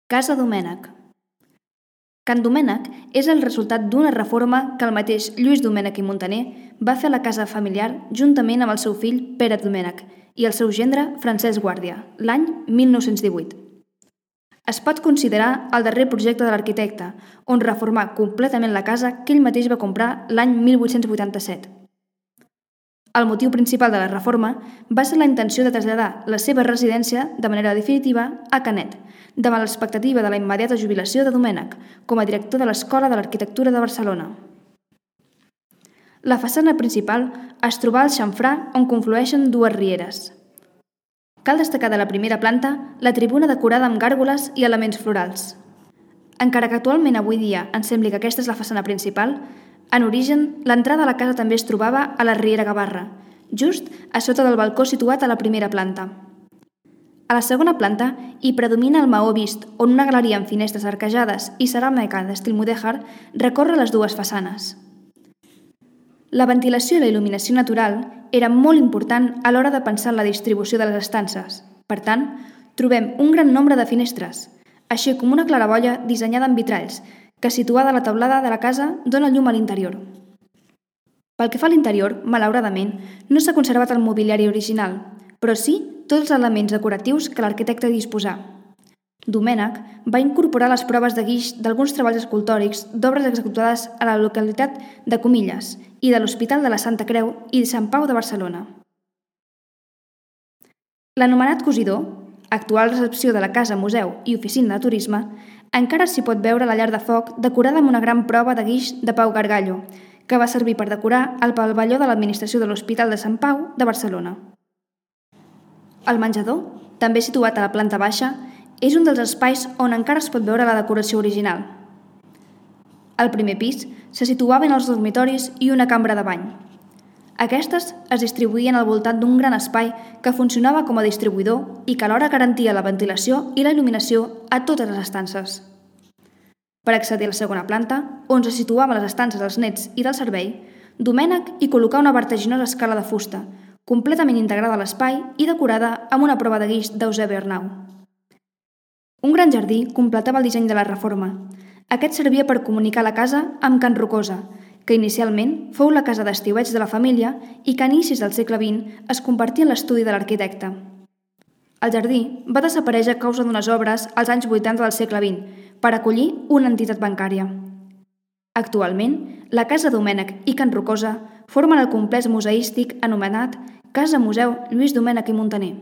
Casa Domènech. Can Domènech és el resultat d'una reforma que el mateix Lluís Domènech i Muntaner va fer a la casa familiar juntament amb el seu fill Pere Domènech i el seu gendre Francesc Guàrdia, l'any 1918. Es pot considerar el darrer projecte de l'arquitecte, on reformà completament la casa que ell mateix va comprar l'any 1887. El motiu principal de la reforma va ser la intenció de traslladar la seva residència de manera definitiva a Canet, davant l'expectativa de la immediata jubilació de Domènech com a director de l'Escola de l'Arquitectura de Barcelona. La façana principal es troba al xamfrà on conflueixen dues rieres. Cal destacar de la primera planta la tribuna decorada amb gàrgoles i elements florals. Encara que actualment avui dia ens sembli que aquesta és la façana principal, en origen, l'entrada a la casa també es trobava a la riera Gavarra, just a sota del balcó situat a la primera planta. A la segona planta hi predomina el maó vist, on una galeria amb finestres arquejades i ceràmica d'estil mudèjar recorre les dues façanes. La ventilació i la il·luminació natural era molt important a l'hora de pensar en la distribució de les estances. Per tant, trobem un gran nombre de finestres, així com una claraboia dissenyada amb vitralls, que situada a la teulada de la casa dona llum a l'interior. Pel que fa a l'interior, malauradament, no s'ha conservat el mobiliari original, però sí tots els elements decoratius que l'arquitecte disposà. Domènech va incorporar les proves de guix d'alguns treballs escultòrics d'obres executades a la localitat de Comilles i de l'Hospital de la Santa Creu i de Sant Pau de Barcelona. L'anomenat cosidor, actual recepció de la casa museu i oficina de turisme, encara s'hi pot veure la llar de foc decorada amb una gran prova de guix de Pau Gargallo, que va servir per decorar el pavelló de l'administració de l'Hospital de Sant Pau de Barcelona. El menjador, també situat a la planta baixa, és un dels espais on encara es pot veure la decoració original. Al primer pis se situaven els dormitoris i una cambra de bany. Aquestes es distribuïen al voltant d'un gran espai que funcionava com a distribuïdor i que alhora garantia la ventilació i la il·luminació a totes les estances. Per accedir a la segona planta, on se situaven les estances dels nets i del servei, Domènech hi col·locà una vertiginosa escala de fusta, completament integrada a l'espai i decorada amb una prova de guix d'Eusebi Arnau. Un gran jardí completava el disseny de la reforma. Aquest servia per comunicar la casa amb Can Rocosa, que inicialment fou la casa d'estiueig de la família i que a inicis del segle XX es convertí en l'estudi de l'arquitecte. El jardí va desaparèixer a causa d'unes obres als anys 80 del segle XX per acollir una entitat bancària. Actualment, la Casa Domènech i Can Rocosa formen el complex museístic anomenat Casa Museu Lluís Domènech i Muntaner.